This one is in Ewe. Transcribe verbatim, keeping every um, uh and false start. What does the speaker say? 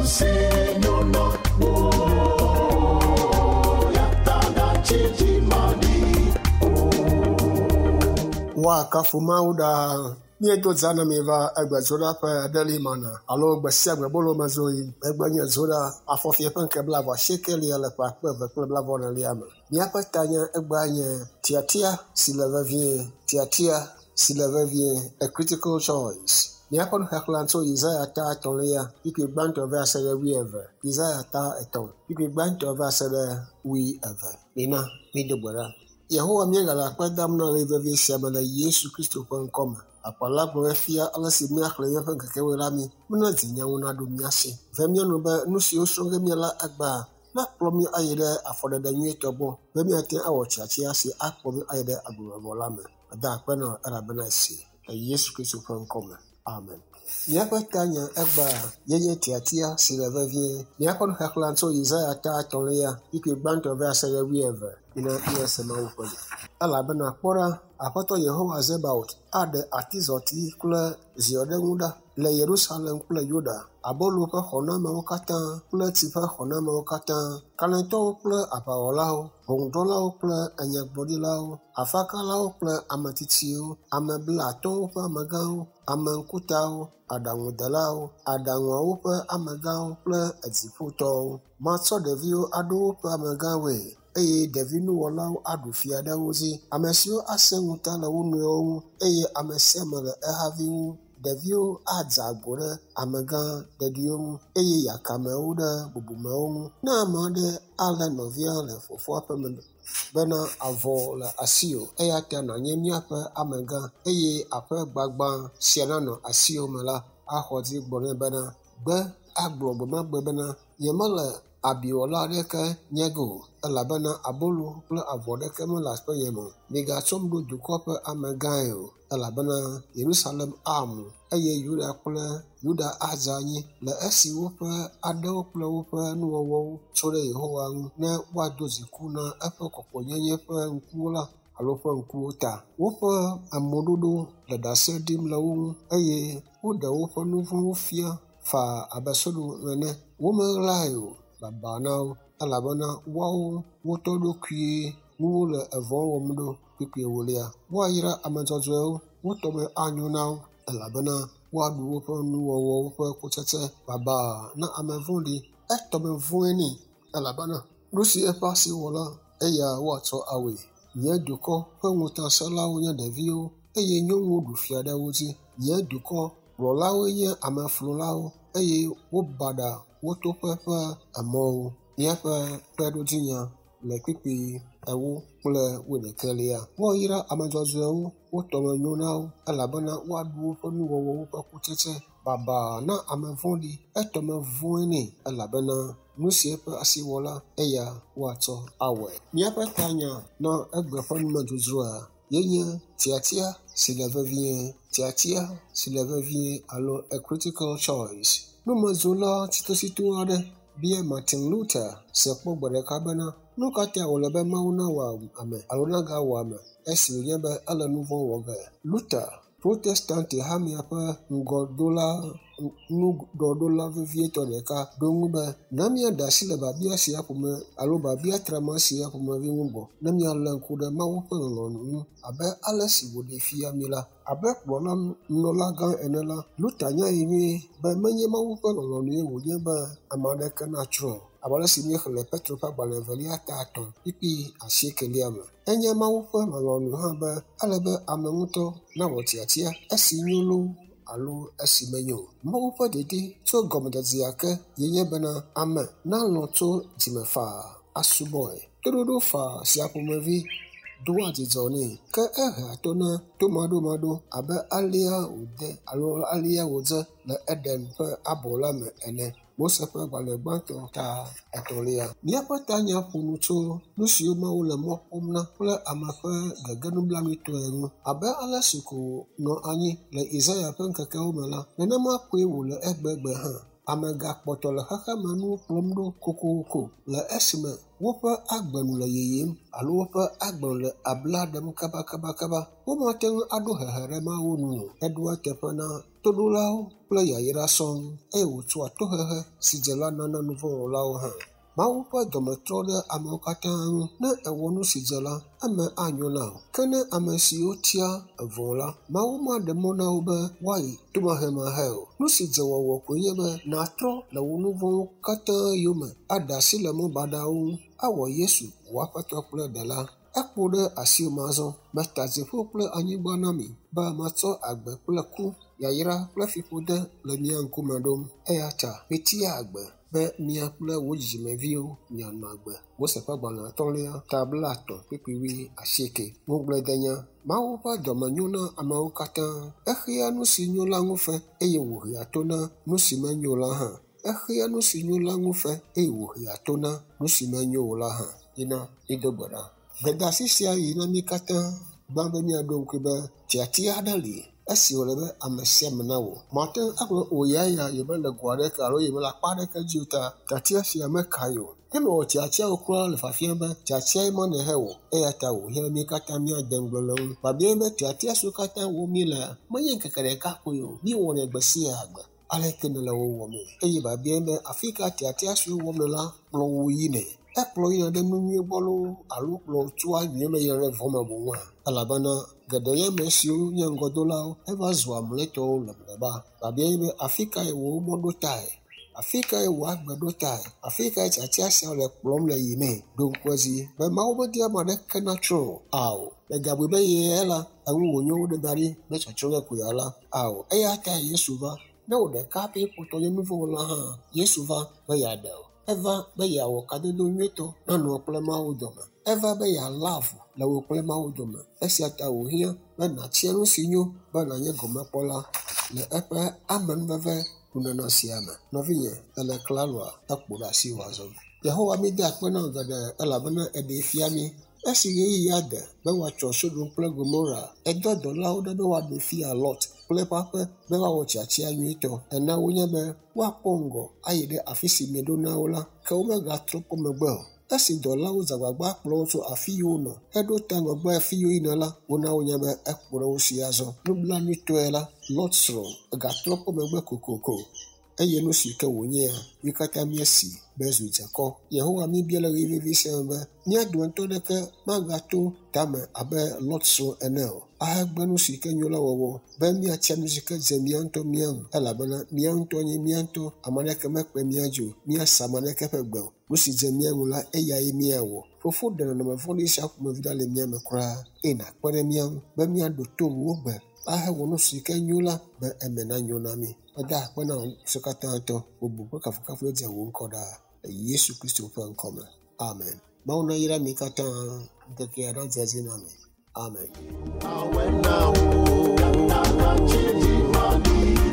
si nyona wo ya ta na chichi madi Woakafu Mawu ɖaa. Míedo zã na mi va egbe Zoɖa ƒe aɖeli mana alo gbe sia gbe bolo me zoyi. Egbe nye Zoɖa afɔfia ƒe ŋke blaeve asiekelia le ƒe akpe eve kple blaeve enelia me. Míaƒe tanya egbea nye tiatia si le vevie, tiatia si le vevie, a critical choice. Míaƒe nuxexlẽ tso Yesaya ta etɔ̃lia, kpukpui gbãtɔ va se ɖe wuieve. Yesaya ta etɔ̃, kpukpui gbãtɔ va se ɖe wuieve. Mina mído gbe ɖa. Yehowa míegale akpe dam na ɣeyiɣi vevi sia me le Yesu Kristo ƒe ŋkɔme. Akpala gblɔ fia ale si míaxlẽ míaƒe ŋkekewoe la mí. Mena dzinyawo naɖo mía si. Ve mía nu be nu siwo srɔ̃ ge míala egbea nakplɔ mí ayi ɖe afɔɖeɖe nyuietɔ gbɔ be míate awɔ tiatia si akplɔ mí ayi ɖe agbemavɔ la me. Meda akpe na wò elabena esi le Yesu Kristo ƒe ŋkɔme. Amen. Míaƒe tanya egbea ye nye tiatia si le vevie. Míaƒe nuxexlẽ tso Yesaya ta etɔ̃lia, kpukpui gbãtɔ va se ɖe wuieve. Mina míase Mawu ƒe nya. Elabena kpɔ ɖa, Aƒetɔ Yehowa Zebaot aɖe atizɔti kple ziɔɖeŋu ɖa le Yerusalem kple Yuda, abolo ƒe xɔnamewo katã kple tsi ƒe xɔnamewo katã, kalẽtɔwo kple aʋawɔlawo, ʋɔnudrɔ̃lawo kple enyagblɔɖilawo, afakalawo kple ame tsitsiwo, ame blaatɔ̃wo ƒe amegãwo, ame ŋkutawo, aɖaŋudelawo, aɖaŋuawo ƒe amegãwo kple edziƒotɔwo. Matsɔ ɖeviwo aɖo woƒe amegãwoe eye ɖevinuwɔlawo aɖu fia ɖe wo dzi. Ame siwo asẽ ŋuta le wo nɔewo ŋu eye ame sia ame le ehavi ŋu. Ɖeviwo adze agbo ɖe amegã ɖeɖiwo ŋu eye yakamewo ɖe bubumewo ŋu. Ne ame aɖe alé nɔvia le fofoa ƒe me bena avɔ le asiwò eya ta nànye míaƒe amegã eye aƒe gbagbã sia nanɔ asiwò me la, axɔ dzi gblɔ nɛ bena gbe agblɔ gbe ma gbe bena nyemele abiwɔla aɖeke nye ge o elabena abolo kple avɔ aɖeke mele aƒenye me o. Migatsɔm ɖo dukɔ ƒe amegãe o elabena Yerusalem amu eye Yuda kple Yuda adze anyi le esi woƒe aɖewo kple woƒe nuwɔwɔwo tso ɖe Yehowa ŋu ne woado dziku na eƒe kɔkɔenyenye ƒe ŋkuwo la alo ƒe ŋkuwo ta. Woƒe ameɖoɖo le ɖase ɖim le wo ŋu eye woɖe woƒe nu vɔ̃wo fia faa abe Sodom ene. Womeɣlae o, baba na wo elabena woawo wotɔ ɖokuie nuwo le evɔ̃ wɔm ɖo. Kpukpui ewolia. Woayra ame dzɔdzɔewo, wo tɔme anyo na wo elabena woaɖu woƒe nuwɔwɔwo ƒe kutsetse. Baba na ame vɔ̃ɖi, etɔme vɔ̃e nɛ elabena nu si eƒe asi wɔ la, eya woatsɔ awɔe. Nye dukɔ ƒe ŋutasẽlawo nye ɖeviwo eye nyɔnuwo ɖu fia ɖe wo dzi. Nye dukɔ kplɔlawoe nye ameflulawo eye wobaɖa wo toƒe ƒe emɔwo. Míaƒe kpeɖodzinya le kpukpui ewo kple wuiɖekɛlia. Woayra ame dzɔdzɔewo, wo tɔme nyo na wo elabena woaɖu woƒe nuwɔwɔwo ƒe kutsetse. Baba na ame vɔ̃ɖi, etɔme vɔ̃e nɛ elabena nu si eƒe asi wɔ la, eya woatsɔ awɔe. Míaƒe tanya na egbe ƒe numedzodzroa ye nye tiatia si le vevie, tiatia si le vevie alo a critical choice. Numedzola tsitotsito aɖe bia Martin Luther se kpɔ gbe ɖeka bena nu ka ta wòle be Mawu nawɔ ame alo nagawɔ ame esi wònye be ele nu vɔ̃ wɔ ge. Luther, Protestante hamea ƒe ŋgɔdola nuɖɔɖola vevietɔ ɖeka ɖo ŋu be na míaɖe asi le biabia sia ƒome alo biabia trama sia ƒomevi ŋu gbɔ ne míalé ŋku ɖe Mawu ƒe lɔlɔ̃nu ŋu abe ale si wòɖee fia mí la. Abe kplɔla nunɔlagã ene la, Luther nyae nyuie be menye Mawu ƒe lɔlɔ̃nue wònye be ame aɖeke natsrɔ̃ o. Abe ale si míexlẽ le Petro ƒe agbalẽ evelia ta etɔ̃ kpukpui asiekelia me. Enye Mawu ƒe lɔlɔ̃nu hã be ele be ame ŋutɔ nawɔ tiatia esi nyo loo alo esi menyo o. Mawu ƒe didi tso gɔmedzedzea ke ye nye bena ame nalɔ̃ tso dzime faa asubɔe. Toɖoɖo faa sia ƒomevi doa dzidzɔ nɛ ke ehea to na tomaɖomaɖo abe alea wòde alo alea wòdze le Eden ƒe abɔ la me ene. Mose ƒe agbalẽ gbãtɔ ta etɔ̃lia. Míaƒe tanya ƒo nu tso nu siwo Mawu le mɔ kpɔm na kple ame ƒe gege nublanuitɔe ŋu. Abe ale si ko nɔ anyi le Yesaya ƒe ŋkekewo me la, nenema koe wòle egbegbe hã. Ame gakpɔtɔ le xexemenuwo kplɔm ɖo kokoko le esime Woƒe agbe nu le yiyim alo woƒe agbe nu le abla ɖem kabakabakaba. Womate ŋu aɖo hehe ɖe Mawu nu o. Eɖoa eteƒe na toɖolawo kple yayra sɔŋ eye wòtsɔa tohehe si dze la nana nuvɔ̃wɔlawo hã. Mawu ƒe dɔme trɔ ɖe amewo katã ŋu. Ne èwɔ nu si dze la, eme anyo na wò. Ke ne ame siwo tia evɔ̃ la, Mawu maɖe mɔ na wo be woayi tomahemahe o. Nu si dze wɔwɔ koe nye be nàtrɔ le wò nu vɔ̃wo katã yome, aɖe asi le mɔ baɖawo ŋu, awɔ Yesu wò Aƒetɔ kple Ɖela. Ekpo ɖe asiwò me azɔ. Meta dziƒo kple anyigba na mi be matsɔ agbe kple ku, yayra kple fiƒode le mia ŋkume ɖom. Eya ta mitia agbe be mia kple wò dzidzimeviwo mianɔ agbe. Mose ƒe agbalẽ atɔ̃lia, ta blaetɔ̃ kpukpui wui asieke. Ŋugbledenya. Mawu ƒe dɔme nyo na amewo katã. Exea nu si nyo la ŋu fe eye wòhea to na nu si menyo la hã. Exea nu si nyo la ŋu fe eye wòhea to na nu si menyo o la hã. Yina mído gbe ɖa. Gbedeasi sia yi na mí katã gbã be míaɖo ŋkui be tiatia aɖe li esi wòle be ame sia ame nawɔ. Mate ŋu agblɔ o ya ya yemele go aɖeke alo yemele akpa aɖeke dzi o ta tiatia sia meka ye o. Ne mewɔ tiatiawo kura le fiafia be tiatiae ma nèhe o eya ta wòhiã be mí katã míade ŋugble le eŋu. Biabiae be tiatia siwo katã wɔm míelea menye ŋkeke ɖeka koe o. Míewɔnɛ gbe sia gbe. Aleke nèle wo wɔmee? Eye biabiae be afi ka tiatia siwo wɔm nèle la kplɔ wò yinɛ? Ekplɔ yina ɖe nu nyui gbɔ loo alo kplɔ tsoa nyui me yina ɖe vɔ̃ me boŋua? Elabena geɖe nye ame siwo nye ŋgɔdolawo heva zua mlɔetɔwo le mlɔeba. Biabiae be afi kae wò mɔ ɖo tae? Afi kae wò agbe ɖo tae? Afi kae tiatia siawo le kplɔm le yimee? Ɖo ŋku edzi be Mawu medi ame aɖeke natsrɔ̃ o. Ao, mègabui be ye la eŋu wònyo woɖe da ɖi be tsɔtsrɔ̃ ge ko yeala. Ao, eya tae Yesu va. Ne wò ɖeka pɛ kpɔtɔ nye nuvɔ̃wɔla hã, Yesu va be yeaɖe wò. Eva be yeawɔ kadodo nyuietɔ nanɔ wò kple Mawu dome. Eva be yealé avu le wò kple Mawu dome. Esia ta wòhiã be nàtia nu si nyo be nànye gɔmekpɔla le eƒe amenuveve nunana sia me. Nɔvinye, èle klaloa? Ekpo ɖe asiwò azɔ. Yehowa míde akpe na wò geɖe elabena eɖee fia mí. Esi ɣeyiɣia de be woatsɔ Sodom kple Gomora, edɔ dɔlawo ɖa be woaɖee fia Lot kple eƒe aƒe be woawɔ tiatia nyuitɔ. Ena wonya be woakpɔ ŋgɔ ayi ɖe afi si mieɖo na wo la, ke womegatrɔ kpɔ megbe o. Esi dɔlawo dze agbagba kplɔ wo tso afi yi wonɔ heɖo ta ŋgɔgbe afi yi woyina la, wona wonya be ekpo ɖe wo si azɔ. Nublanuitɔe la, Lot srɔ̃ egatrɔ kpɔ megbe kokoko eye nu si ke wònyea, mí katã míesi be zu dzekɔ. Yehowa míebia le ɣeyiɣi vevi sia me be mía dometɔ aɖeke magato tame abe Lot srɔ̃ ene o. Ahegbe nu si ke nyo la wɔwɔ be míatia nu si ke dze mía ŋutɔ mía ŋu elabena mía ŋutɔ nye mía ŋutɔ, ame aɖeke mekpe mía dzi o, míase ame aɖeke ƒe gbe o. Nu si dze mía ŋu la, eyae míawɔ. Fofo ɖe nɔnɔme vɔ̃ɖi sia ƒomevi ɖa le mía me kura eye nàkpe ɖe mía ŋu be míaɖo to wò gbe ahewɔ nu si ke nyo la be eme nanyo na mí. Meda akpe na wò ŋusẽ katã tɔ. Bubu kple kafukafu dze wò ŋkɔ ɖaa le Yesu Kristo ƒe ŋkɔ me. Amen. Mawu nayra mi katã ŋkekea nadze edzi na mi. Amen. Awena o, nana chiji mani.